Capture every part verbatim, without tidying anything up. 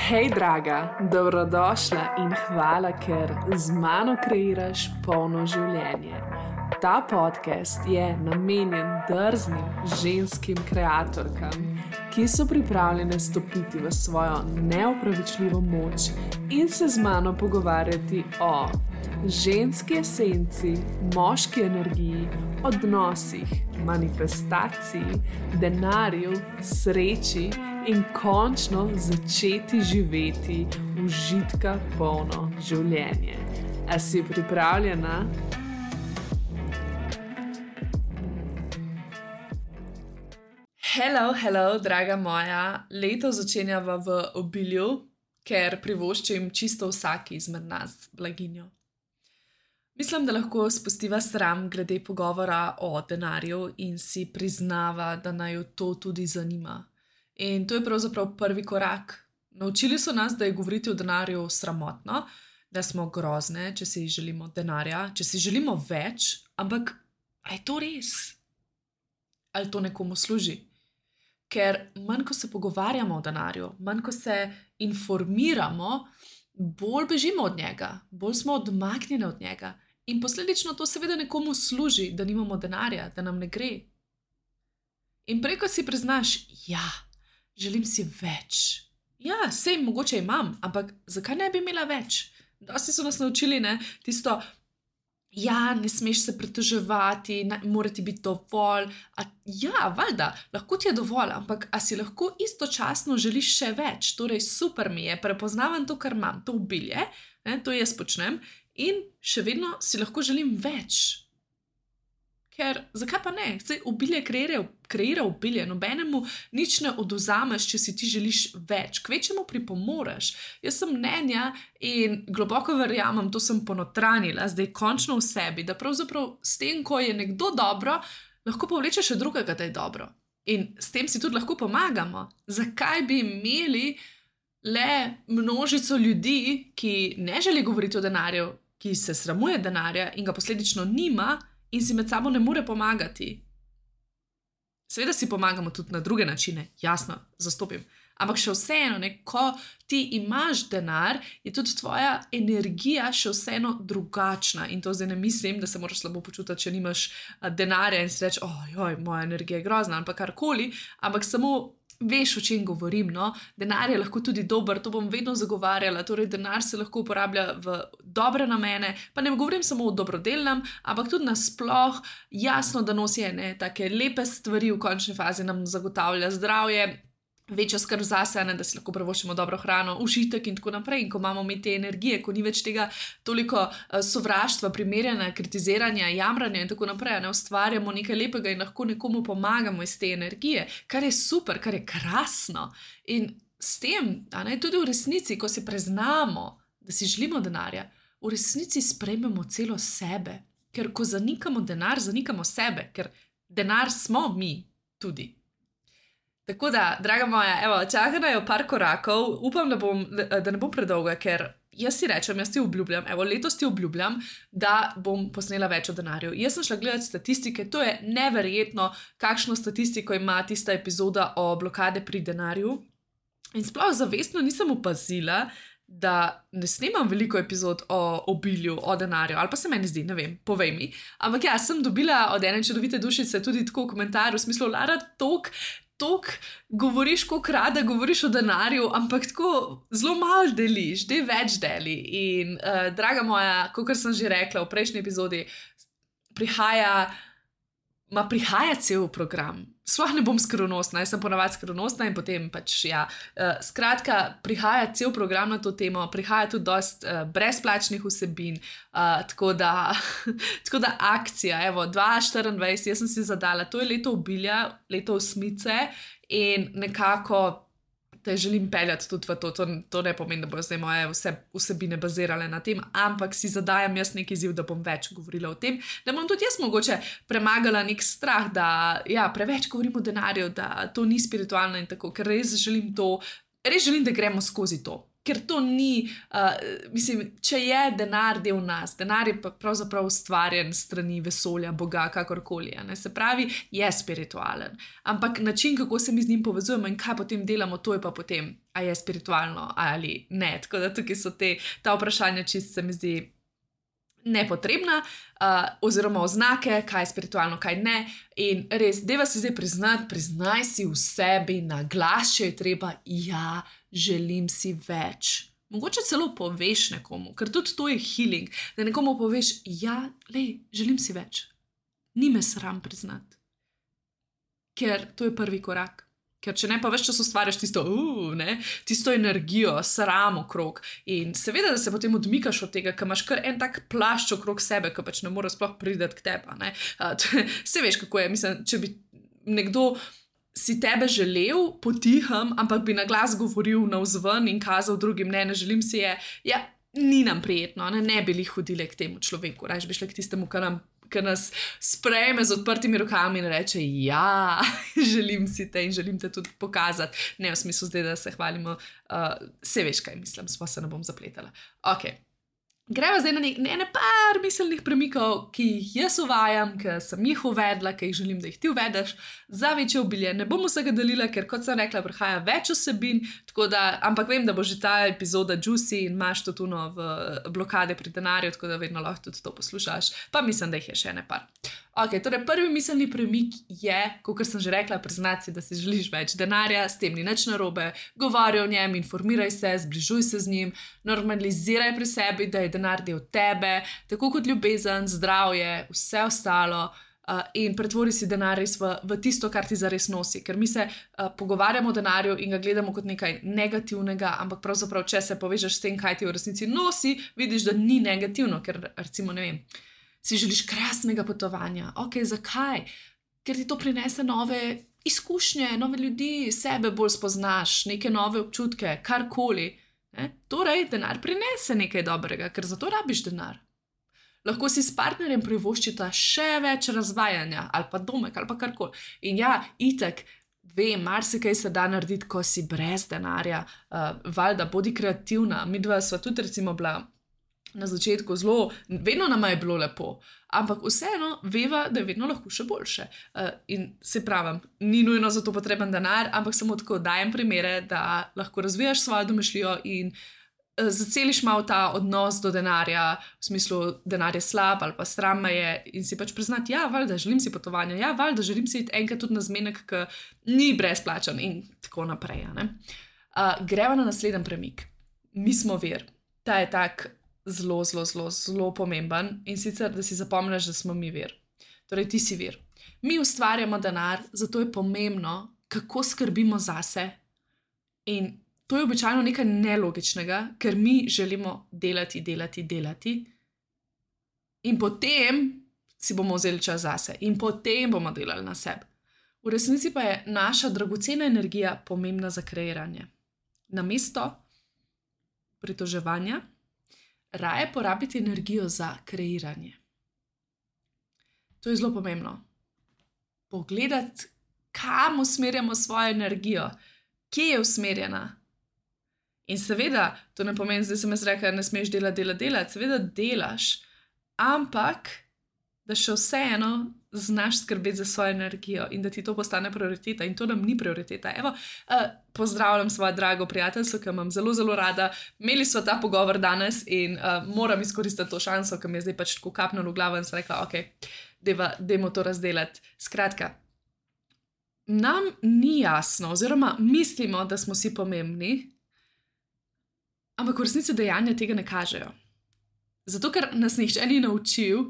Hej, draga, dobrodošla in hvala, ker z mano kreiraš polno življenje. Ta podcast je namenjen drznim ženskim kreatorkam, ki so pripravljene stopiti v svojo neopravičljivo moč in se z mano pogovarjati o ženski esenci, moški energiji, odnosih, manifestaciji, denarju, sreči in končno začeti živeti užitka polno življenje. A si pripravljena? Hello, hello, draga moja. Leto začenjava v obilju, ker privoščim čisto vsaki izmed nas blaginjo. Mislim, da lahko spustiva sram glede pogovora o denarju in si priznava, da naj jo to tudi zanima. In to je pravzaprav prvi korak. Naučili so nas, da je govoriti o denarju sramotno, da smo grozne, če si želimo denarja, če si želimo več, ampak a je to res? Ali to nekomu služi? Ker manj, ko se pogovarjamo o denarju, manj, ko se informiramo, bolj bežimo od njega, bolj smo odmaknjeni od njega. In posledično to seveda nekomu služi, da nimamo denarja, da nam ne gre. In preko si priznaš, ja, želim si več. Ja, sej mogoče imam, ampak zakaj ne bi imela več? Dosti so nas naučili, ne, tisto, ja, ne smeš se pritoževati, ne, mora ti biti dovolj. A, ja, valjda, lahko ti je dovolj, ampak a si lahko istočasno želiš še več? Torej, super mi je, prepoznavam to, kar imam, to obilje, ne, to jaz počnem in še vedno si lahko želim več. Ker, zakaj pa ne? Saj obilje kreira, kreira obilje, nobenemu nič ne odvzameš, če si ti želiš več, kvečemu pripomoreš. Jaz sem mnenja in globoko verjamem, to sem ponotranila, zdaj končno v sebi, da pravzaprav s tem, ko je nekdo dobro, lahko povleče še drugega, da je dobro. In s tem si tudi lahko pomagamo. Zakaj bi imeli le množico ljudi, ki ne želi govoriti o denarju, ki se sramuje denarja in ga posledično nima, in si med sabo ne more pomagati. Seveda si pomagamo tudi na druge načine, jasno, zastopim. Ampak še vseeno, ne, ko ti imaš denar, je tudi tvoja energija še vseeno drugačna. In to zdaj ne mislim, da se moraš slabo počutiti, če nimaš denarja in si reči, oh, joj, moja energija je grozna, ali pa karkoli, ampak samo veš, o čem govorim, no? Denar je lahko tudi dober, to bom vedno zagovarjala, torej denar se lahko uporablja v dobre namene, pa ne govorim samo o dobrodelnem, ampak tudi nasploh jasno, da nosi ene take lepe stvari v končni fazi nam zagotavlja zdravje, večjo skrb zase, ne, da si lahko privoščimo dobro hrano, užitek in tako naprej. In ko imamo mi te energije, ko ni več tega toliko uh, sovraštva, primerjanja, kritiziranja, jamranja in tako naprej, ne, ustvarjamo nekaj lepega in lahko nekomu pomagamo iz te energije, kar je super, kar je krasno. In s tem, a ne, tudi v resnici, ko si preznamo, da si želimo denarja, v resnici sprejmemo celo sebe. Ker ko zanikamo denar, zanikamo sebe, ker denar smo mi tudi. Tako da, draga moja, evo, čaka najo par korakov, upam, da, bom, da ne bom predolga, ker jaz si rečem, jaz ti obljubljam, evo, letos ti obljubljam, da bom posnela več o denarju. Jaz sem šla gledati statistike, to je neverjetno, kakšno statistiko ima tista epizoda o blokade pri denarju. In sploh zavestno nisem opazila, da ne snemam veliko epizod o obilju, o denarju, ali pa se meni zdi, ne vem, povej mi. Ampak ja, sem dobila od ene čudovite dušice tudi tako komentar v smislu, Lara, tok, tok govoriš, koliko rada govoriš o denarju, ampak tako zelo malo deliš, dej več deli. In uh, draga moja, kakor sem že rekla v prejšnji epizodi, prihaja, ma prihaja cel program. Sploh ne bom skrivnostna, jaz sem ponavadi skrivnostna in potem pač, ja. Uh, skratka, prihaja cel program na to temo, prihaja tudi dost uh, brezplačnih vsebin, uh, tako da, tako da akcija, evo, dva tisoč štiriindvajset, jaz sem si zadala, to je leto obilja, leto osmice in nekako te želim peljati tudi v to, to, to ne pomeni, da bojo zdaj moje vse vsebine bazirale na tem, ampak si zadajam jaz neki izziv, da bom več govorila o tem, da bom tudi jaz mogoče premagala nek strah, da ja, preveč govorim o denarju, da to ni spiritualno in tako, ker res želim to, res želim, da gremo skozi to. ker to ni, uh, mislim, če je denar del nas, denar je pa pravzaprav ustvarjen strani vesolja, Boga, kakorkoli. Ne? Se pravi, je spiritualen. Ampak način, kako se mi z njim povezujemo in kaj potem delamo, to je pa potem, a je spiritualno ali ne. Tako da tukaj so te, ta vprašanja čist se mi zdi nepotrebna, uh, oziroma oznake, kaj je spiritualno, kaj ne. In res, deva si zdaj priznati, priznaj si v sebi na glas, če je treba, ja, želim si več. Mogoče celo poveš nekomu, ker tudi to je healing, da nekomu poveš, ja, lej, želim si več. Ni me sram priznati. Ker to je prvi korak. Ker če ne, pa več čas ustvarjaš tisto, uh, ne, tisto energijo, sram okrog. In seveda, da se potem odmikaš od tega, ker imaš kar en tak plašč okrog sebe, ki pač ne more sploh priti k tebi. Uh, se veš, kako je. Mislim, če bi nekdo si tebe želel potihem, ampak bi na glas govoril navzven in kazal drugim, ne, ne želim si je, ja, ni nam prijetno, ne, ne bi li hodili k temu človeku, rajš bi šli k tistemu, kar nam ki nas sprejme z odprtimi rokami in reče, ja, želim si te in želim te tudi pokazati. Ne v smislu zdaj, da se hvalimo, uh, se veš, kaj mislim, sva se ne bom zapletala. Ok, greva zdaj na ne, ne par miselnih premikov, ki jih jaz uvajam, ki sem jih uvedla, ki jih želim, da jih ti uvedeš za večje obilje. Ne bom vsega delila, ker kot sem rekla, prihaja več osebin, tako da, ampak vem, da bo že ta epizoda juicy in imaš to tuno v blokade pri denarju, tako da vedno lahko tudi to poslušaš, pa mislim, da jih je še ne par. Ok, torej prvi miselni premik je, kot sem že rekla, priznati si, da si želiš več denarja, s tem ni nič narobe, govori o njem, informiraj se, zbližuj se z njim, normaliziraj pri sebi, da je denar del tebe, tako kot ljubezen, zdravje, vse ostalo, uh, in pretvori si denar res v, v tisto, kar ti zares nosi, ker mi se uh, pogovarjamo o denarju in ga gledamo kot nekaj negativnega, ampak pravzaprav, če se povežeš s tem, kaj ti v resnici nosi, vidiš, da ni negativno, ker recimo, ne vem, si želiš krasnega potovanja. Ok, zakaj? Ker ti to prinese nove izkušnje, nove ljudi, sebe bolj spoznaš, neke nove občutke, karkoli. Ne? Torej, denar prinese nekaj dobrega, ker zato rabiš denar. Lahko si s partnerjem privoščita še več razvajanja, ali pa domek, ali pa karkoli. In ja, itak, vem, marsikaj se da narediti, ko si brez denarja. Uh, valjda, bodi kreativna. Midva sva tudi recimo bila na začetku zelo, vedno nama je bilo lepo, ampak vseeno veva, da je vedno lahko še boljše. Uh, in se pravim, ni nujno za to potreben denar, ampak samo tako dajem primere, da lahko razvijaš svojo domišljijo in uh, zaceliš malo ta odnos do denarja, v smislu, denar je slab ali pa sram me je in si pač priznati, ja, valjda, želim si potovanja, ja, valjda, želim si iti enkrat tudi na zmenek, ki ni brezplačen in tako naprej. Ne? Uh, greva na naslednji premik. Mi smo vir. Ta je tak zelo, zelo, zelo, zelo pomemben in sicer, da si zapomniš, da smo mi vir. Torej, ti si vir. Mi ustvarjamo denar, zato je pomembno, kako skrbimo zase in to je običajno nekaj nelogičnega, ker mi želimo delati, delati, delati in potem si bomo vzeli čas zase in potem bomo delali na sebi. V resnici pa je naša dragocena energija pomembna za kreiranje. Namesto pritoževanja, raje porabiti energijo za kreiranje. To je zelo pomembno. Pogledati, kam usmerjamo svojo energijo, kje je usmerjena. In seveda, to ne pomeni, zdaj sem jaz rekla, ne smeš delati, delati, delati, seveda delaš, ampak da še vseeno znaš skrbeti za svojo energijo in da ti to postane prioriteta in to nam ni prioriteta. Evo, uh, pozdravljam svojo drago prijateljstvo, ki imam zelo, zelo rada. Imeli smo ta pogovor danes in uh, moram izkoristiti to šanso, ki mi je zdaj pač tako kapnilo v glavo in sem rekla, ok, deva, dajmo to razdelati. Skratka, nam ni jasno oziroma mislimo, da smo si pomembni, ampak v resnici dejanja tega ne kažejo. Zato, ker nas nihče ni naučil,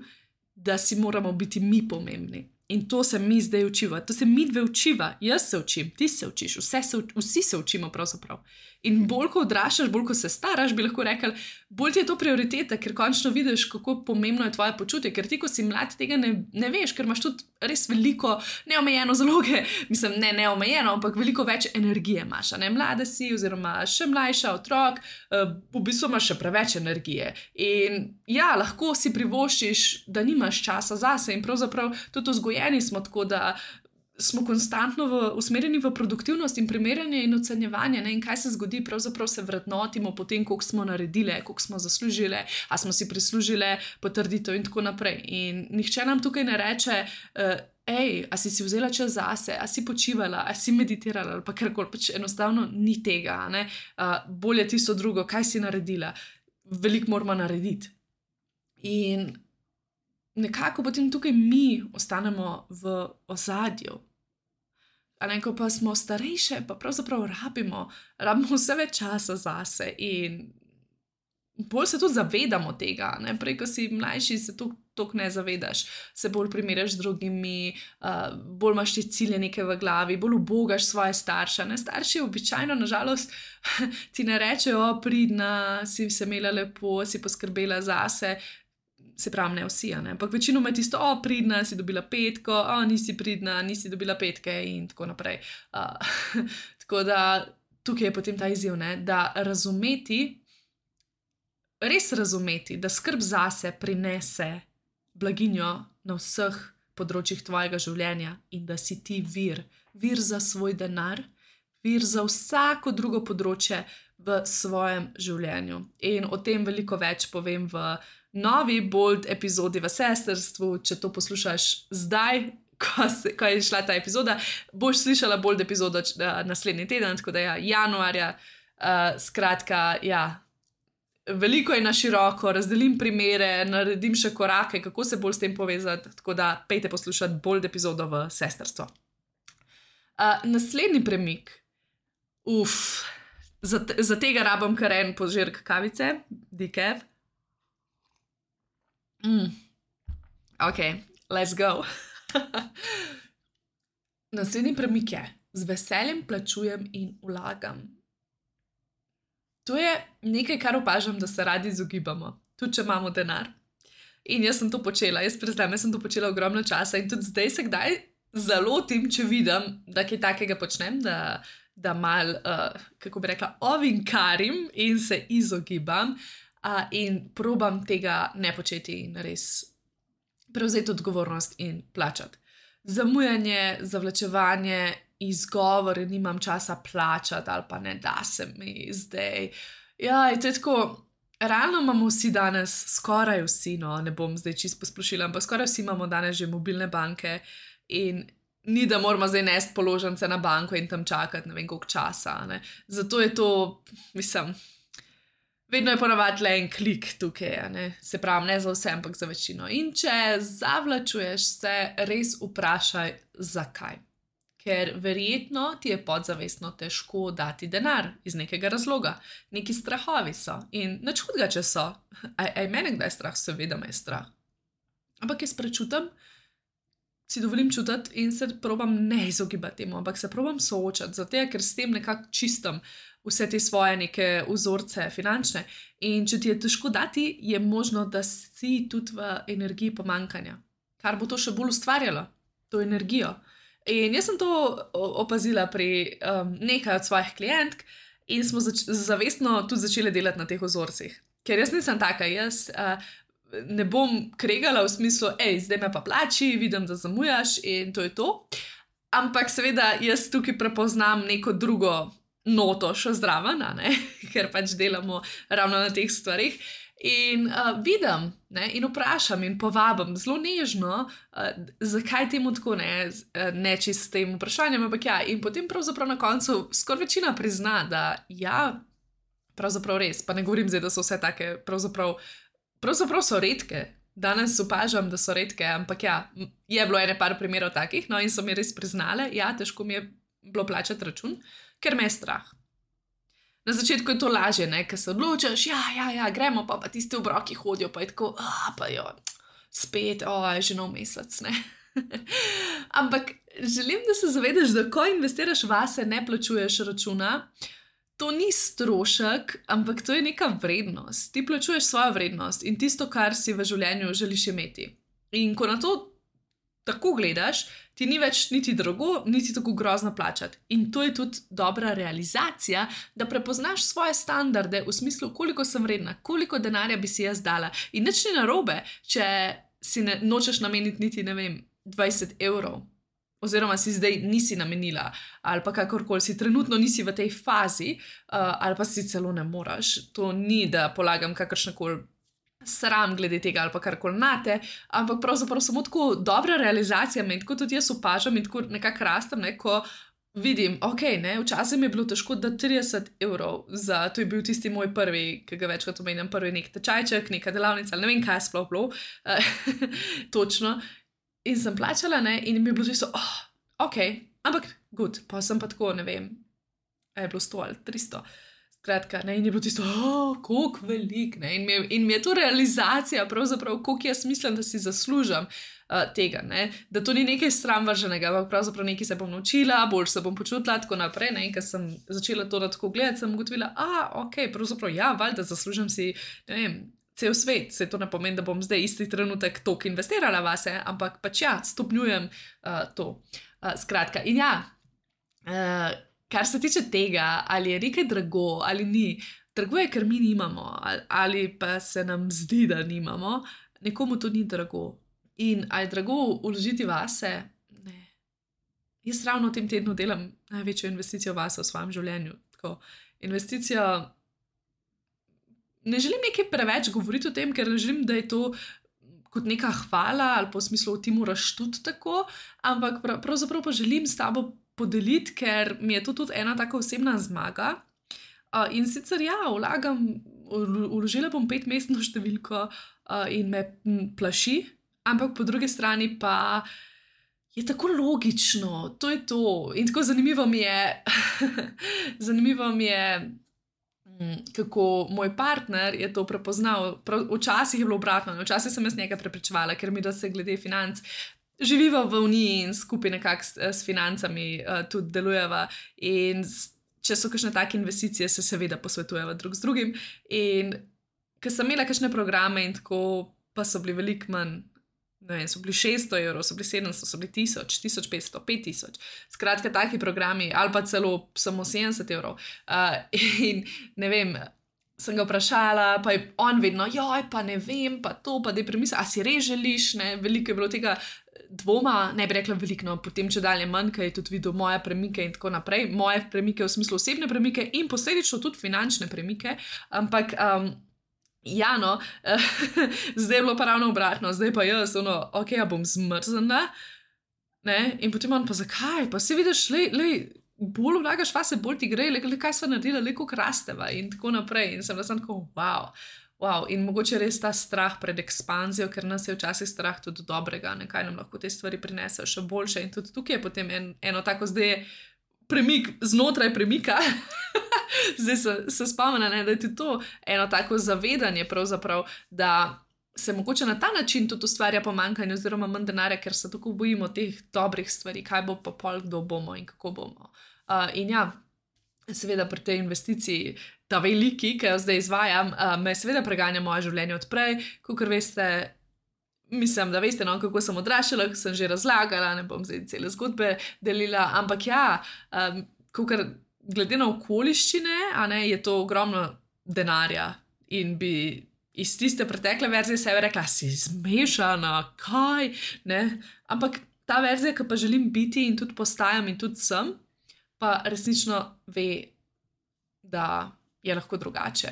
da si moramo biti mi pomembni. In to se mi zdaj učiva. To se mi dve učiva. Jaz se učim, ti se učiš, vse se, vsi se učimo pravzaprav. In bolj ko odraščaš, bolj ko se staraš, bi lahko rekel, bolj ti je to prioriteta, ker končno vidiš, kako pomembno je tvoje počutje, ker ti, ko si mlad, tega ne, ne veš, ker imaš tudi res veliko neomejeno zaloge, mislim, ne neomejeno, ampak veliko več energije imaš, ne, mlade si oziroma še mlajša, otrok, v bistvu imaš še preveč energije. In ja, lahko si privoščiš, da nimaš časa zase in pravzaprav tudi vzgojeni smo tako, da smo konstantno v, usmerjeni v produktivnost in primerjanje in ocenjevanje, ne? In kaj se zgodi, pravzaprav se vrednotimo po tem, koliko smo naredili, koliko smo zaslužili, a smo si prislužili potrditev in tako naprej. In nihče nam tukaj ne reče, uh, ej, a si si vzela čas zase, a si počivala, a si meditirala ali pa karkoli, pač enostavno ni tega, ne? Uh, bolje tisto drugo, kaj si naredila, veliko moramo narediti. In nekako potem tukaj mi ostanemo v ozadju. A ne, ko pa smo starejše, pa pravzaprav rabimo, rabimo vse več časa zase in bolj se tudi zavedamo tega, ne? Prej, ko si mlajši, se toliko ne zavedaš, se bolj primerjaš z drugimi, uh, bolj imaš te cilje neke v glavi, bolj ubogaš svoje starše. Ne? Starši običajno, nažalost, ti ne rečejo, o, pridna, si se imela lepo, si poskrbela zase, se pravi, ne vsi, ne? Ampak večinoma je tisto, o, pridna, si dobila petko, o, nisi pridna, nisi dobila petke in tako naprej. Uh, tako da tukaj je potem ta izziv, ne? Da razumeti, res razumeti, da skrb zase prinese blaginjo na vseh področjih tvojega življenja in da si ti vir, vir za svoj denar, vir za vsako drugo področje v svojem življenju. In o tem veliko več povem v novi Bold epizodi v sestrstvu. Če to poslušaš zdaj, ko, se, ko je šla ta epizoda, boš slišala Bold epizodo naslednji teden, tako da ja, januarja, uh, skratka, ja, veliko je na široko, razdelim primere, naredim še korake, kako se bolj s tem povezati, tako da pejte poslušati Bold epizodo v sestrstvo. Uh, naslednji premik, uf, za, za tega rabim kar en požirk kavice, decaf. Mm. Ok, let's go. Naslednji premik je, z veseljem plačujem in vlagam. To je nekaj, kar opažam, da se radi izogibamo, tudi če imamo denar. In jaz sem to počela, jaz priznam, jaz sem to počela ogromno časa in tudi zdaj se kdaj zalotim, če vidim, da kaj takega počnem, da, da mal, uh, kako bi rekla, ovinkarim in se izogibam uh, in probam tega ne početi in res prevzeti odgovornost in plačati. Zamujanje, zavlačevanje, izgovor, nimam časa plačati ali pa ne da se mi zdaj. Ja, to je tako, realno imamo vsi danes, skoraj vsi, no, ne bom zdaj čisto posplošila, ampak skoraj vsi imamo danes že mobilne banke in ni, da moramo zdaj nesti položnice na banko in tam čakati ne vem koliko časa. Ne. Zato je to, mislim, vedno je ponavadi le en klik tukaj, ne. Se pravi, ne za vse, ampak za večino. In če zavlačuješ se, res vprašaj, zakaj. Ker verjetno ti je podzavestno težko dati denar iz nekega razloga. Neki strahovi so in nič hudega, če so. Aj, aj mene kdaj je strah? Seveda me je strah. Ampak jaz prečutam, si dovolim čutiti in se probam ne izogibati temu, ampak se probam soočati, zato ker s tem nekako čistim vse te svoje neke vzorce finančne. In če ti je težko dati, je možno, da si tudi v energiji pomanjkanja, kar bo to še bolj ustvarjalo, to energijo. In jaz sem to opazila pri um, nekaj od svojih klientk in smo zač- zavestno tudi začeli delati na teh vzorcih. Ker jaz nisem taka, jaz uh, ne bom kregala v smislu, ej, zdaj me pa plači, vidim, da zamujaš in to je to. Ampak seveda jaz tukaj prepoznam neko drugo noto še zraven, ne? Ker pač delamo ravno na teh stvarih. In uh, vidim, ne, in vprašam in povabim zelo nežno, uh, zakaj temu tako ne, ne čist s tem vprašanjem, ampak ja, in potem pravzaprav na koncu skoraj večina prizna, da ja, pravzaprav res, pa ne govorim zdaj, da so vse take, pravzaprav, pravzaprav so redke, danes opažam, da so redke, ampak ja, je bilo ene par primerov takih, no in so mi res priznale, ja, težko mi je bilo plačati račun, ker me je strah. Na začetku je to lažje, ne, ker se odločiš, ja, ja, ja, gremo, pa, pa tiste obroki hodijo, pa je tako, ah, pa jo, spet, o, je že nov mesec, ne. Ampak želim, da se zavedaš, da ko investiraš vase, ne plačuješ računa, to ni strošek, ampak to je neka vrednost. Ti plačuješ svojo vrednost in tisto, kar si v življenju želiš imeti. In ko na to tako gledaš, ti ni več niti drago, niti tako grozno plačati. In to je tudi dobra realizacija, da prepoznaš svoje standarde v smislu, koliko sem vredna, koliko denarja bi si jaz dala. In nič ni narobe, če si ne, nočeš nameniti niti, ne vem, dvajset evrov. oziroma si zdaj nisi namenila, ali pa kakorkoli si trenutno nisi v tej fazi, uh, ali pa si celo ne moreš. To ni, da polagam kakršnekoli sram glede tega ali pa karkoli nate, ampak pravzaprav samo tako dobra realizacija me in tako tudi jaz opažam in tako nekako rastem, ne, ko vidim, ok, ne, včasih mi je bilo težko da trideset evrov za, to je bil tisti moj prvi, ki ga večkrat omenjam, prvi nek tečajček, neka delavnica, ali ne vem, kaj je sploh bilo, točno, in sem plačala, ne, in mi je bilo čisto, oh, ok, ampak good, pa sem pa tako, ne vem, je bilo sto ali tristo, skratka, ne, in je bilo tisto, oh, koliko velik, ne, in mi je, in mi je to realizacija, pravzaprav, koliko jaz mislim, da si zaslužam uh, tega, ne, da to ni nekaj sramvrženega, ampak pravzaprav nekaj se bom naučila, bolj se bom počutila, tako naprej, ne, in ko sem začela to tako gledati, sem ugotovila, a, ok, pravzaprav, ja, valjda zaslužim si, ne vem, cel svet, se to ne pomeni, da bom zdaj isti trenutek toliko investirala vase, ampak pač ja, stopnjujem uh, to. Uh, skratka, in ja, uh, kar se tiče tega, ali je nekaj drago ali ni, drago je, ker mi nimamo, ali, ali pa se nam zdi, da nimamo, nekomu to ni drago. In ali je drago vložiti vase? Ne. Jaz ravno v tem tednu delam največjo investicijo vase v svojem življenju. Tako, investicijo, ne želim nekaj preveč govoriti o tem, ker ne želim, da je to kot neka hvala ali pa v smislu, ti moraš tudi tako, ampak prav, pravzaprav pa želim s tabo podeliti, ker mi je to tudi ena taka osebna zmaga. Uh, in sicer ja, vlagam, vložila bom petmestno številko uh, in me m, plaši, ampak po drugi strani pa je tako logično, to je to. In tako zanimivo mi je, zanimivo mi je, m, kako moj partner je to prepoznal. Prav, včasih je bilo obratno, včasih sem jaz njega prepričevala, ker mi da se glede financ živiva v Uniji in skupaj nekako s, s financami uh, tudi delujeva in s, če so kakšne take investicije, se seveda posvetujeva drug z drugim in ker sem imela kakšne programe in tako, pa so bili veliko manj, ne vem, so bili šeststo evrov, so bili sedemsto, so bili tisoč, tisoč petsto, pet tisoč, skratka taki programi, ali pa celo samo sedemdeset evrov uh, in ne vem, sem ga vprašala, pa je on vedno, joj, pa ne vem, pa to, pa da je premisla, a si res želiš, ne, veliko je bilo tega dvoma, ne bi rekla veliko, no, potem če dalje manj, ker je tudi videl moje premike in tako naprej, moje premike v smislu osebne premike in posledično tudi finančne premike, ampak um, ja, no, zdaj je bilo pa ravno obratno, zdaj pa jaz, ono, ok, ja bom zmrzena, ne, in potem on pa zakaj, pa si vidiš, lej, lej, bolj vlagaš vase, bolj ti gre, le, le kaj sva naredila, le koliko rasteva in tako naprej. In sem da sem tako, wow, wow. In mogoče res ta strah pred ekspanzijo, ker nas je včasih strah tudi dobrega, nekaj nam lahko te stvari prinesejo še boljše. In tudi tukaj je potem en, eno tako zdaj premik znotraj premika. Zdaj se, se spomena, ne, da je tudi to eno tako zavedanje pravzaprav, da se mogoče na ta način tudi ustvarja pomanjkanje oziroma manj denarja, ker se tako bojimo teh dobrih stvari, kaj bo pa pol, kdo bomo in kako bomo. Uh, in ja, seveda pri tej investiciji, ta veliki, ki jo zdaj izvajam, uh, me seveda preganja moje življenje odprej, kakor veste, mislim, da veste, no, kako sem odraščala, sem že razlagala, ne bom zdaj cele zgodbe delila, ampak ja, um, kakor glede na okoliščine, a ne, je to ogromno denarja in bi iz tiste pretekle verzije sebe rekla, si zmešana, kaj, ne, ampak ta verzija, ki pa želim biti in tudi postajam in tudi sem, pa resnično ve, da je lahko drugače.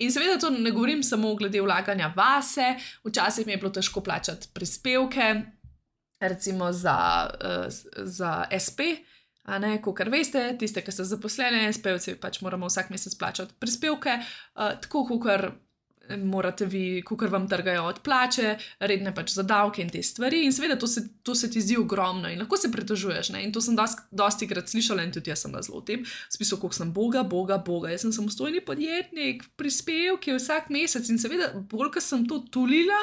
In seveda to ne govorim samo glede vlaganja vase, včasih mi je bilo težko plačati prispevke, recimo za, uh, za es pe, a ne, kakor veste, tiste, ki ste zaposlene, es pe-ovci pač moramo vsak mesec plačati prispevke, uh, tako kakor morate vi, kakor vam trgajo od plače, redne pač za davke in te stvari in seveda to se, to se ti zdi ogromno in lahko se pritožuješ, ne, in to sem dosti, dosti krat slišala in tudi jaz sem zelo v tem, v smislu, koliko sem boga, boga, boga, jaz sem samostojni podjetnik, prispevki vsak mesec in seveda, bolj, ko sem to tulila,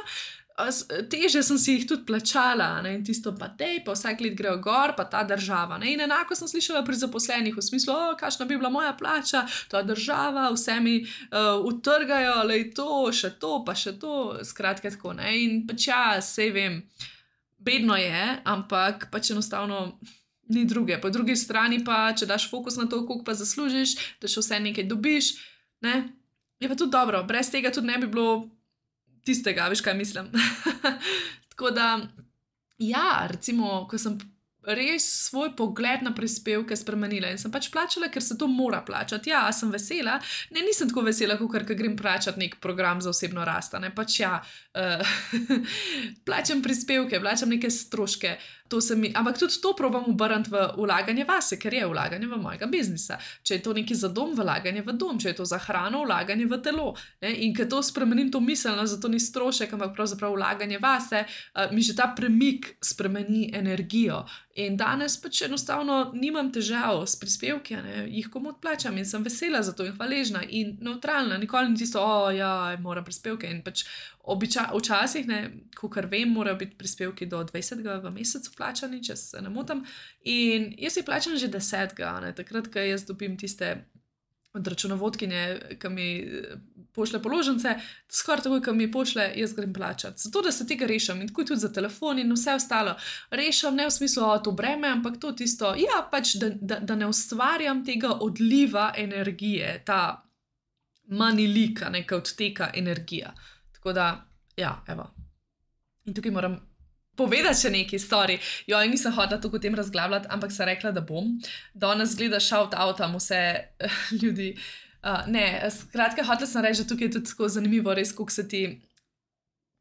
teže sem si jih tudi plačala, ne, in tisto pa tej, pa vsak let grejo gor, pa ta država, ne, in enako sem slišala pri zaposlenih v smislu, o, kakšna bi bila moja plača, ta država, vse mi uh, utrgajo, lej to, še to, pa še to, skratka tako, ne, in pač ja, sej vem, bedno je, ampak pač enostavno ni druge, po drugi strani pa, če daš fokus na to, koliko pa zaslužiš, da še vse nekaj dobiš, ne, je pa tudi dobro, brez tega tudi ne bi bilo tistega, veš kaj mislim. Tako da, ja, recimo, ko sem res svoj pogled na prispevke spremenila in sem pač plačala, ker se to mora plačati. Ja, sem vesela, ne, nisem tako vesela, kot ker grem plačati nek program za osebno rast, ne, pač ja, uh, plačam prispevke, plačam neke stroške, to se mi, ampak tudi to probam obrniti v vlaganje vase, ker je vlaganje v mojega biznisa. Če je to nekaj za dom, vlaganje v dom, če je to za hrano, vlaganje v telo, ne, in ker to spremenim to miselno, zato ni strošek, ampak pravzaprav vlaganje vase, uh, mi že ta premik spremeni energijo. In danes pač enostavno nimam težav s prispevki, ne, jih komu odplačam in sem vesela za to in hvaležna in neutralna, nikoli ni tisto, o, ja, moram prispevke in pač običa, včasih, ne, kakor vem, morajo biti prispevki do dvajsetega v mesecu plačani, če se ne motam, in jaz jih plačam že desetega, ne, takrat, ko jaz dobim tiste od računovodkinje, ki mi pošle položnice, skoraj tako, ki mi pošle, jaz grem plačati. Zato, da se tega rešim in tako tudi za telefon in vse ostalo. Rešim ne v smislu, o, to breme, ampak to tisto, ja, pač, da, da, da ne ustvarjam tega odliva energije, ta manilika, neka odteka energija. Tako da, ja, evo. In tukaj moram povedati še neki story. Jo, in nisem hodila tako o tem razglabljati, ampak sem rekla, da bom. Danes gleda shout-outam vse uh, ljudi. Uh, ne, skratka, hotela sem reči, da tukaj je tudi tako zanimivo, res, koliko se ti,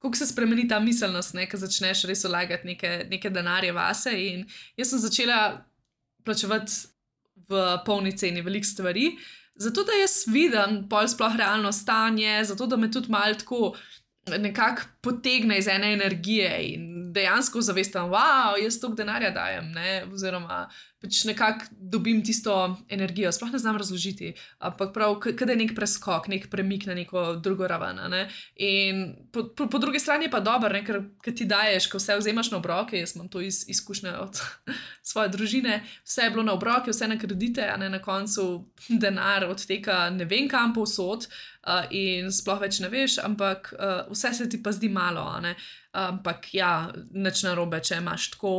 koliko se spremeni ta miselnost, ne, ko začneš res vlagati neke, neke denarje vase. In jaz sem začela plačevati v polni ceni veliko stvari, zato da jaz vidim pol sploh realno stanje, zato da me tudi malo tako nekako potegne iz ene energije in dejansko zavestam, wow, jaz toliko denarja dajem, ne, oziroma pač nekako dobim tisto energijo, sploh ne znam razložiti, ampak prav, kada je nek preskok, nek premik na neko drugo raven, ne, in po, po, po drugi strani je pa dobro, ne, ker, ker ti daješ, ko vse vzemaš na obroke, jaz imam to iz, izkušnje od svoje družine, vse je bilo na obroke, vse na kredite, a ne na koncu denar odteka ne vem kam povsod, Uh, in sploh več ne veš, ampak uh, vse se ti pa zdi malo, ne? Ampak ja, nič narobe, če imaš tako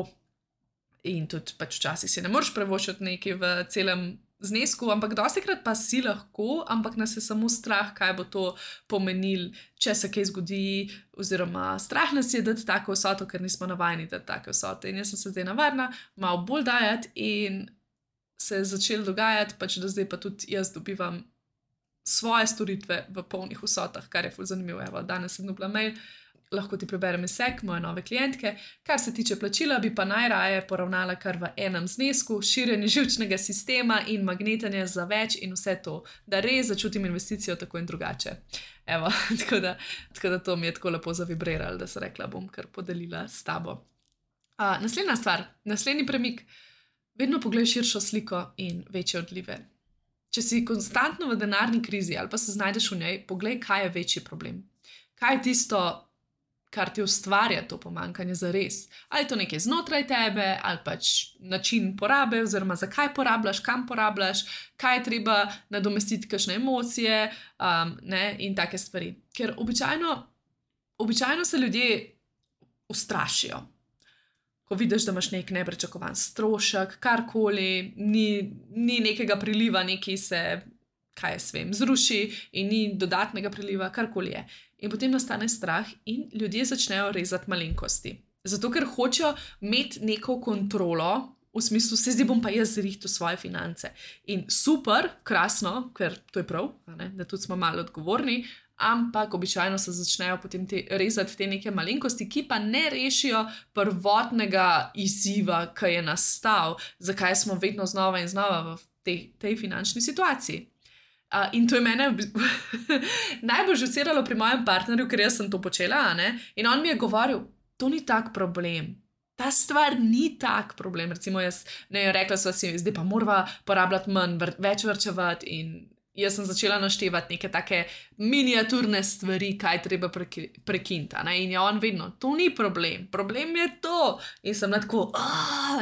in tudi pač včasih si ne moreš prevoščiti nekaj v celem znesku, ampak dostikrat pa si lahko, ampak nas je samo strah, kaj bo to pomenil, če se kaj zgodi, oziroma strah nas je dati tako vsoto, ker nismo navajeni dati take vsote. In jaz sem se zdaj navadna malo bolj dajati in se je začelo dogajati, pač da zdaj pa tudi jaz dobivam svoje storitve v polnih vsotah, kar je ful zanimivo. Evo, danes sem dobila mail, lahko ti preberem izsek moje nove klientke. Kar se tiče plačila, bi pa najraje poravnala kar v enem znesku, širjenje živčnega sistema in magnetanje za več in vse to, da res začutim investicijo tako in drugače. Evo, tako da, tako da to mi je tako lepo zavibriralo, da sem rekla, bom kar podelila s tabo. Uh, naslednja stvar, naslednji premik, vedno poglej širšo sliko in večje odlive. Če si konstantno v denarni krizi ali pa se znajdeš v njej, poglej, kaj je večji problem. Kaj je tisto, kar ti ustvarja to pomanjkanje zares. Ali je to nekaj znotraj tebe, ali pač način porabe, oziroma zakaj porabljaš, kam porabljaš, kaj je treba nadomestiti, kakšne emocije um, ne, in take stvari. Ker običajno, običajno se ljudje ustrašijo. Ko vidiš, da imaš nek neprečakovan strošek, karkoli, ni, ni nekega priliva, nekaj se, kaj jaz vem, zruši in ni dodatnega priliva, karkoli je. In potem nastane strah in ljudje začnejo rezati malenkosti. Zato, ker hočejo imeti neko kontrolo, v smislu, se zdaj bom pa jaz zrihtal svoje finance. In super, krasno, ker to je prav, ne, da tudi smo malo odgovorni, ampak običajno se začnejo potem te, rezati te neke malenkosti, ki pa ne rešijo prvotnega izziva, ki je nastal, zakaj smo vedno znova in znova v tej, tej finančni situaciji. Uh, in to je mene najbolj žuciralo pri mojem partnerju, ker jaz sem to počela, ne? In on mi je govoril, to ni tak problem. Ta stvar ni tak problem. Recimo jaz, ne, rekla sva si, zdaj pa morava porabljati manj, vr, več vrčevati in jaz sem začela naštevati neke take miniaturne stvari, kaj treba prekinta. Ne? In je on vedno, to ni problem, problem je to. In sem tako,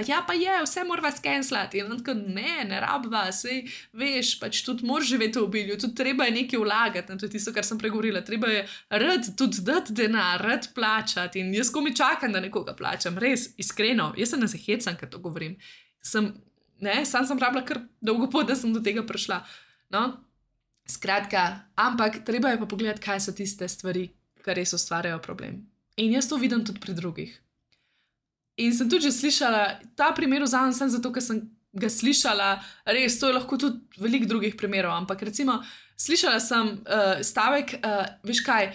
ja pa je, vse morava skenslati. In on tako, ne, ne rabva, sej veš, pač tudi moraš živeti v obilju, tudi treba je nekaj vlagati. To je tisto, kar sem pregovorila. Treba je rad tudi dati denar, rad plačati. In jaz komi čakam, da nekoga plačam. Res, iskreno, jaz se ne zahecam, ker to govorim. Sem, ne, sam sem rabila kar dolgo pot, da sem do tega prišla. No, skratka, ampak treba je pa pogledati, kaj so tiste stvari, ki res ustvarjajo problem. In jaz to vidim tudi pri drugih. In sem tudi že slišala, ta primer vzamem sem zato, ker sem ga slišala, res, to je lahko tudi veliko drugih primerov, ampak recimo, slišala sem uh, stavek, uh, veš kaj,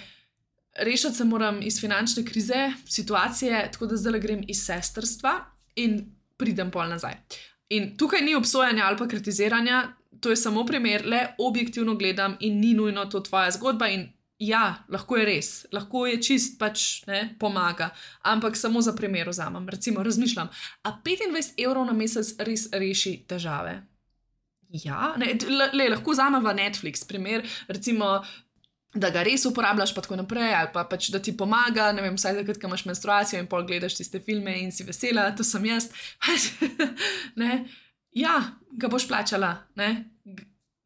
rešiti se moram iz finančne krize, situacije, tako da zdaj grem iz sestrstva in pridem pol nazaj. In tukaj ni obsojanja ali pa kritiziranja, to je samo primer, le objektivno gledam in ni nujno to tvoja zgodba in ja, lahko je res, lahko je čist pač ne, pomaga, ampak samo za primer vzamem. Recimo razmišljam, a petindvajset evrov na mesec res reši težave? Ja, ne, le, lahko vzamem v Netflix primer, recimo, da ga res uporabljaš pa tako naprej, ali pa pač, da ti pomaga, ne vem, vsaj takrat, ko imaš menstruacijo in pol gledaš tiste filme in si vesela, to sem jaz. Ne, ja, ga boš plačala, ne.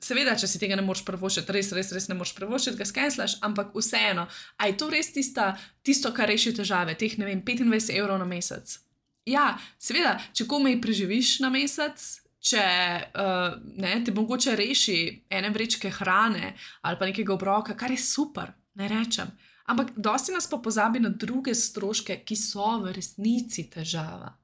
Seveda, če si tega ne moreš privoščiti, res, res, res ne moreš privoščiti, ga skenslaš, ampak vseeno, a je to res tista, tisto, kar reši težave, teh, ne vem, petindvajset evrov na mesec? Ja, seveda, če komaj preživiš na mesec, če uh, ne, te mogoče reši ene vrečke hrane ali pa nekega obroka, kar je super, ne rečem. Ampak dosti nas pa pozabi na druge stroške, ki so v resnici težava.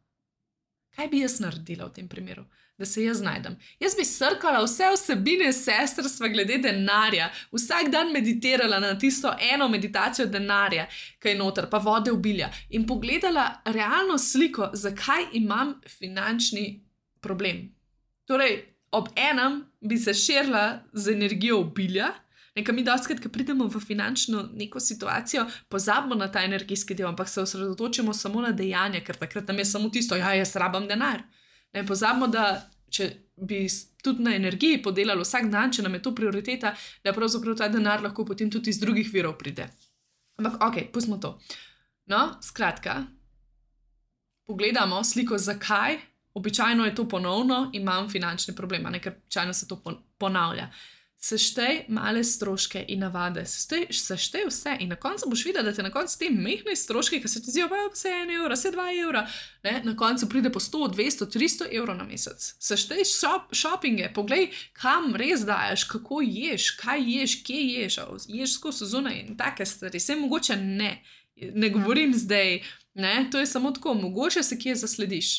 Kaj bi jaz naredila v tem primeru? Da se jaz najdem. Jaz bi srkala vse vsebine sestrstva glede denarja, vsak dan meditirala na tisto eno meditacijo denarja, ki je noter, pa vode obilja in pogledala realno sliko, zakaj imam finančni problem. Torej, ob enem bi se širila z energijo obilja, nekaj mi dostikrat, ko pridemo v finančno neko situacijo, pozabimo na ta energijski del, ampak se osredotočimo samo na dejanje, ker takrat nam je samo tisto, ja, jaz rabam denar. Ne pozabimo, da če bi tudi na energiji podelali vsak dan, če nam je to prioriteta, da pravzaprav ta denar lahko potem tudi iz drugih virov pride. Ampak, ok, pustimo to. No, skratka, pogledamo sliko, zakaj, običajno je to ponovno, imam finančne probleme, ker običajno se to ponavlja. Seštej male stroške in navade, seštej, seštej vse in na koncu boš videla, da te na koncu te mehne stroške, ki se ti zdijo, pa vse en evra, vse dva evra, ne, na koncu pride po sto, dvesto, tristo evrov na mesec. Seštej shop, shoppinge, poglej, kam res daješ, kako ješ, kaj ješ, kje ješ, ješ skozi zunaj in take stvari, vse mogoče ne, ne govorim zdaj, ne, to je samo tako, mogoče se kje zaslediš.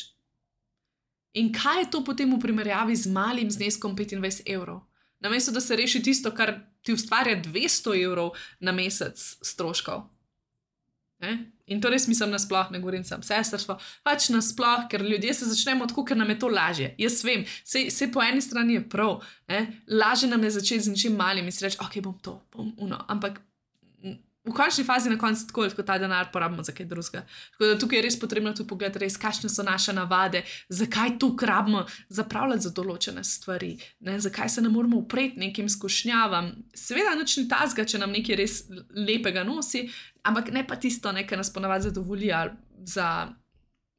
In kaj je to potem v primerjavi z malim zneskom petindvajset evrov? Namesto, da se reši tisto, kar ti ustvarja dvesto evrov na mesec stroškov. Ne? In to res mislim nasploh, ne govorim sam sestrstvo, pač nasploh, ker ljudje se začnemo tako, ker nam je to lažje. Jaz vem, sej po eni strani je prav, ne? Lažje nam je začeti z ničim malim in si reči, ok, bom to, bom uno, ampak v končni fazi na koncu tako, ko ta denar porabimo za kaj drugega. Tako da tukaj je res potrebno tudi pogledati res, kakšne so naše navade, zakaj to rabimo zapravljati za določene stvari, ne? Zakaj se ne moramo upreti nekim skušnjavam. Seveda nič ni tazga, če nam nekaj res lepega nosi, ampak ne pa tisto, ne, kar nas ponavadi zadovolji za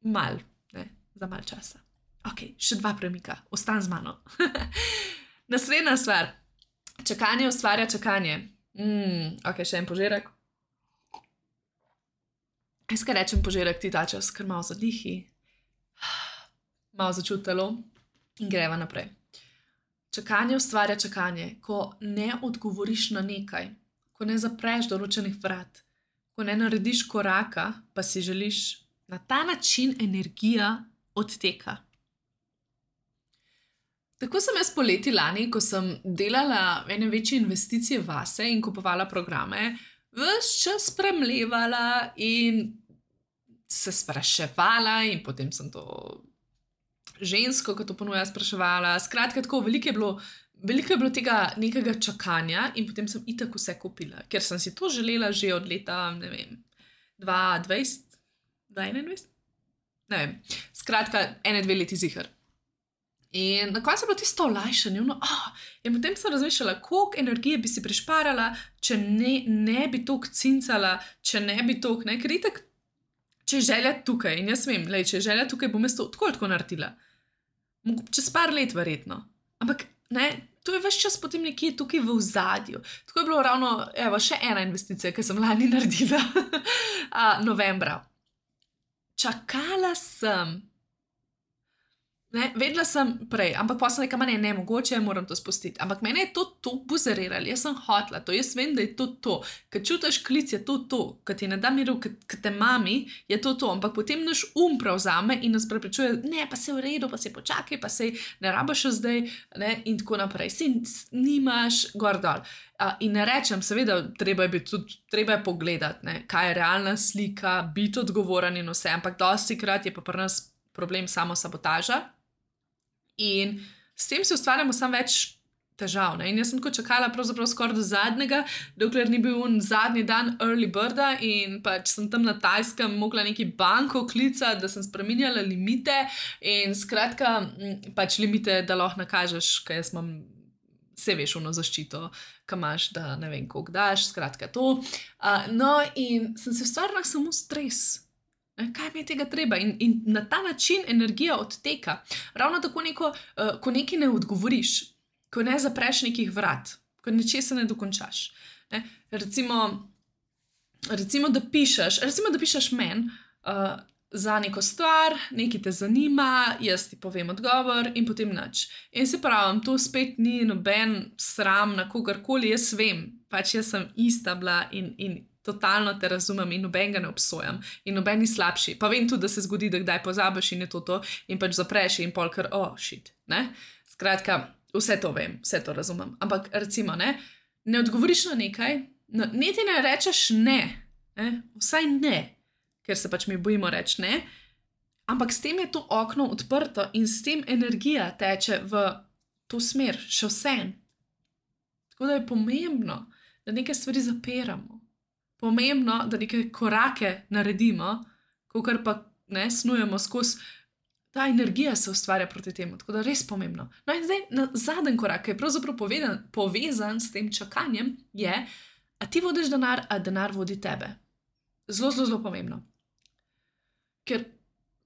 mal, ne, za mal časa. Ok, še dva premika, ostan z mano. Naslednja stvar, čakanje ustvarja čakanje. Mm, ok, še en požirek. Jaz kaj rečem požirek ti ta čas, ker malo zadihi, malo začuti telo in greva naprej. Čakanje ustvarja čakanje, ko ne odgovoriš na nekaj, ko ne zapreš določenih vrat, ko ne narediš koraka, pa si želiš, na ta način energija odteka. Tako sem jaz poleti lani, ko sem delala ene večje investicije vase in kupovala programe, ves čas premlevala in se spraševala in potem sem to žensko, ki to ponuja, spraševala. Skratka, tako veliko je bilo, veliko je bilo tega nekega čakanja in potem sem itak vse kupila, ker sem si to želela že od leta, ne vem, dva tisoč dvajset, dva tisoč enaindvajset? Ne vem, skratka, ene dve leti ziher. In na koncu je bilo tisto olajšanje, no, oh, in potem sem razmišljala, koliko energije bi si prišparala, če ne, ne bi toliko cincala, če ne bi toliko, ne, ker itak, če je želja tukaj, in jaz vem, lej, če je želja tukaj, bom jaz to tako tako naredila. Čez par let verjetno. Ampak, ne, to je ves čas potem nekje tukaj v ozadju. Tako je bilo ravno, evo, še ena investicija, ki sem lani naredila, novembra. Čakala sem. Ne, vedela sem prej, ampak pa sem rekla, ma ne, ne, mogoče moram to spustiti. Ampak mene je to to buzeriralo, jaz sem hotla to, jaz vem, da je to to. Ker čutiš klic, je to to, ker ti ne da miru, ker te mami, je to to. Ampak potem naš um prevzame in nas prepričuje, ne, pa se v redu, pa se počakaj, pa se ne rabaš zdaj, ne, in tako naprej. Si nimaš gor dol. Uh, in ne rečem, seveda, treba je, tudi, treba je pogledati, ne, kaj je realna slika, biti odgovoren in vse, ampak dosti krat je pa pri nas problem samo sabotaža. In s tem si ustvarjamo samo več težav. Ne? In jaz sem tako čakala pravzaprav skoraj do zadnjega, dokler ni bil un zadnji dan early birda in pač sem tam na Tajskem mogla neki banko klicati, da sem spreminjala limite in skratka pač limite, da lahko nakažeš, kaj jaz imam, vse veš, ono zaščito, kaj imaš, da ne vem, koliko daš, skratka to. Uh, no in sem se ustvarila samo stres. Kaj mi je tega treba? In, in na ta način energija odteka. Ravno tako, neko, uh, ko nekaj ne odgovoriš, ko ne zapreš nekih vrat, ko nečesa ne dokončaš. Ne? Recimo, recimo, da pišeš, recimo, da pišeš meni uh, za neko stvar, nekaj te zanima, jaz ti povem odgovor in potem nič. In se pravim, to spet ni noben sram na kogarkoli, jaz vem, pač jaz sem ista bila in, in totalno te razumem in noben ga ne obsojam in noben ni slabši. Pa vem tudi, da se zgodi, da kdaj pozabiš in je to to in pač zapreš in pol kar, oh, shit, ne? Skratka, vse to vem, vse to razumem. Ampak recimo, ne, ne odgovoriš na nekaj, no, niti ne rečeš ne, ne, vsaj ne, ker se pač mi bojimo reči ne, ampak s tem je to okno odprto in s tem energija teče v to smer, še vse. Tako da je pomembno, da neke stvari zapiramo. Pomembno, da neke korake naredimo, kakor pa ne snujemo skozi, ta energija se ustvarja proti temu, tako da res pomembno. No in zdaj, na zadnji korak, ki je pravzaprav povedan, povezan s tem čakanjem, je, a ti vodiš denar, a denar vodi tebe. Zelo, zelo, zelo pomembno. Ker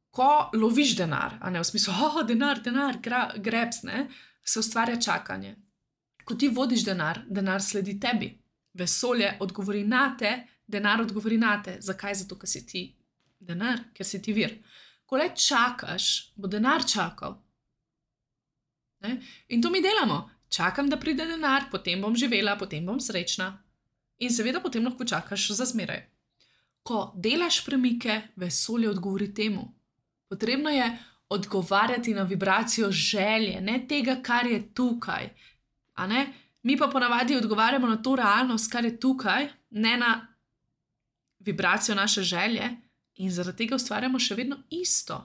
ko loviš denar, a ne v smislu, oh, denar, denar, gra, grabs, ne, se ustvarja čakanje. Ko ti vodiš denar, denar sledi tebi. Vesolje odgovori na te, denar odgovori na te. Zakaj? Zato, ker si ti denar, ker si ti vir. Ko le čakaš, bo denar čakal. Ne? In to mi delamo. Čakam, da pride denar, potem bom živela, potem bom srečna. In seveda potem lahko čakaš za zmeraj. Ko delaš premike, vesolje odgovori temu. Potrebno je odgovarjati na vibracijo želje, ne tega, kar je tukaj. A ne? Mi pa ponavadi odgovarjamo na to realnost, kar je tukaj, ne na vibracijo naše želje in zaradi tega ustvarjamo še vedno isto.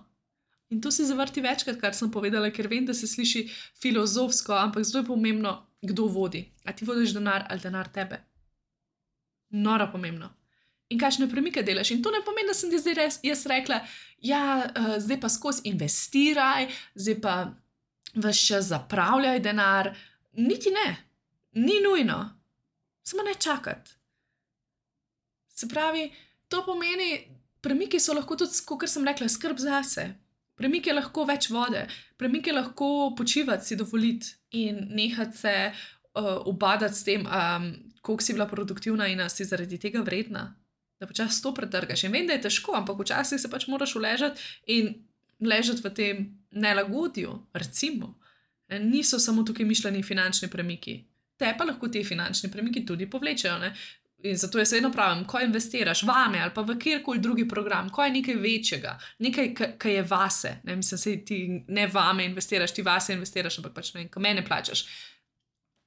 In to si zavrti večkrat, kar sem povedala, ker vem, da se sliši filozofsko, ampak zelo je pomembno, kdo vodi. A ti vodiš denar ali denar tebe? Noro pomembno. In kakšne premike delaš? In to ne pomeni, da sem ti zdaj res, jaz rekla, ja, uh, zdaj pa skozi investiraj, zdaj pa ves čas zapravljaj denar. Niti ne. Ni nujno, samo ne čakati. Se pravi, to pomeni, premiki so lahko tudi, kot sem rekla, skrb zase. Premik je lahko več vode, premik je lahko počivati, si dovoliti in nehati se uh, ubadati s tem, um, koliko si bila produktivna in si zaradi tega vredna, da počasi to pretrgaš. In vem, da je težko, ampak včasih se pač moraš uležati in ležati v tem nelagodju, recimo. Niso samo tukaj mišljeni finančni premiki. Te pa lahko ti finančni premiki tudi povlečejo. Ne? In zato jaz vedno pravim, ko investiraš vame ali pa v kjerkoli drugi program, ko je nekaj večjega, nekaj, kar je vase, ne, mislim, se ti ne vame investiraš, ti vase investiraš, ampak pač ne, ko mene plačaš.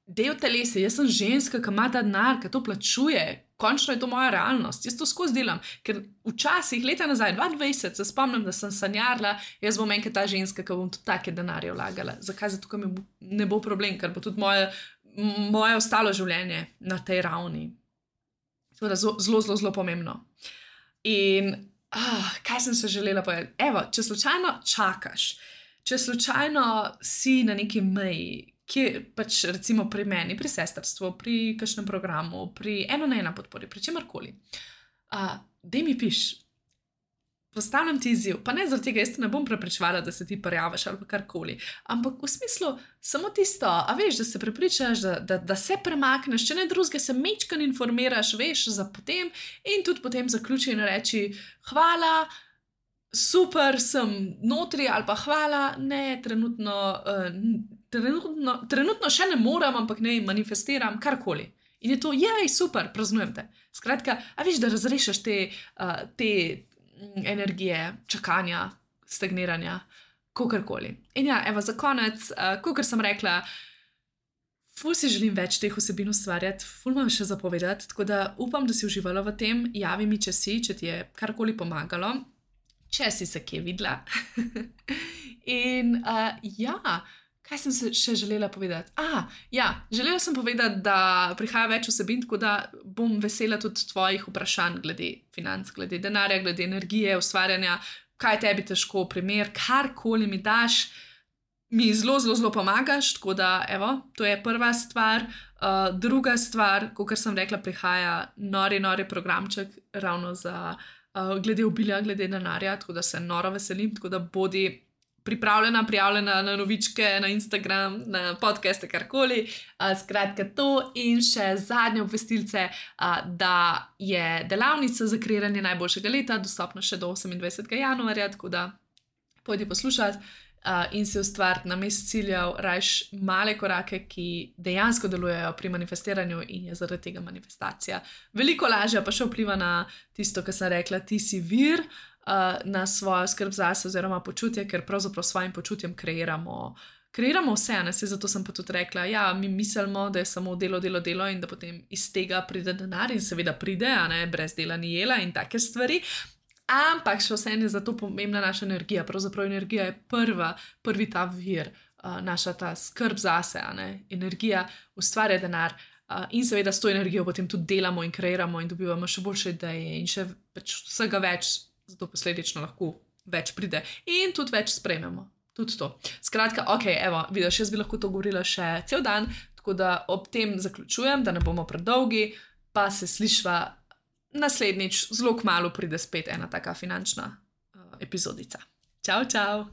Del telesa, jaz sem ženska, ki ima ta denar, ki to plačuje, končno je to moja realnost, jaz to skozi delam, ker včasih, leta nazaj, dvajset, se spomnim, da sem sanjarila, jaz bom enkrat ta ženska, ki bom tudi take denarje vlagala. Zakaj? Zato, ker mi ne bo problem, ker bo tudi moje, moje ostalo življenje na tej ravni. Zelo, zelo, zelo, zelo pomembno. In ah, kaj sem se želela povedati? Evo, če slučajno čakaš, če slučajno si na neki meji, kje pač recimo pri meni, pri sestrstvu, pri kakšnem programu, pri eno na ena podpori, pri čemarkoli, uh, daj mi piš, postavljam ti izziv, pa ne zaradi tega, jaz te ne bom prepričevala, da se ti prijavaš ali pa karkoli, ampak v smislu samo tisto, a veš, da se prepričaš, da, da, da se premakneš, če ne drugega se mečkan informiraš, veš, za potem in tudi potem zaključi in reči hvala, super, sem notri ali pa hvala, ne, trenutno, uh, trenutno, trenutno še ne morem, ampak ne manifestiram karkoli. In je to, jej, super, praznujem te. Skratka, a viš, da razrešiš te, uh, te energije, čakanja, stagniranja, kakorkoli. In ja, evo, za konec, uh, kakor sem rekla, ful si želim več teh vsebin ustvarjati, ful imam še zapovedati, tako da upam, da si uživala v tem, javi mi, če si, če ti je karkoli pomagalo, če si se kje videla. In uh, ja, kaj sem se še želela povedati? Ah, ja, želela sem povedati, da prihaja več vsebin, tako da bom vesela tudi tvojih vprašanj glede financ, glede denarja, glede energije, ustvarjanja, kaj tebi težko, primer, karkoli mi daš, mi zelo, zelo, zelo pomagaš, tako da, evo, to je prva stvar. Uh, druga stvar, kot sem rekla, prihaja nori, nori programček ravno za uh, glede obilja, glede denarja, tako da se noro veselim, tako da bodi pripravljena, prijavljena na novičke, na Instagram, na podcaste, karkoli. Uh, skratka to in še zadnje obvestilce, uh, da je delavnica za kreiranje najboljšega leta dostopna še do osemindvajsetega januarja, tako da pojdi poslušati. Uh, in se ustvariti na mest ciljev, rajš male korake, ki dejansko delujejo pri manifestiranju in je zaradi tega manifestacija veliko lažja, pa še vpliva na tisto, kar sem rekla, ti si vir, uh, na svojo skrb zase oziroma počutje, ker pravzaprav s svojim počutjem kreiramo, kreiramo vse, ne, se zato sem pa tudi rekla, ja, mi mislimo, da je samo delo, delo, delo in da potem iz tega pride denar in seveda pride, a ne, brez dela ni jela in take stvari. Ampak še vseeno je zato pomembna naša energija. Pravzaprav energija je prva, prvi ta vir, uh, naša ta skrb zase, a ne? Energija ustvarja denar uh, in seveda s to energijo potem tudi delamo in kreiramo in dobivamo še boljše ideje in še več, vsega več, zato posledično lahko več pride in tudi več sprejmemo. Tudi to. Skratka, ok, evo, vidiš, jaz bi lahko to govorila še cel dan, tako da ob tem zaključujem, da ne bomo predolgi, pa se slišva naslednjič, zelo kmalu pride spet ena taka finančna uh, epizodica. Čau, čau!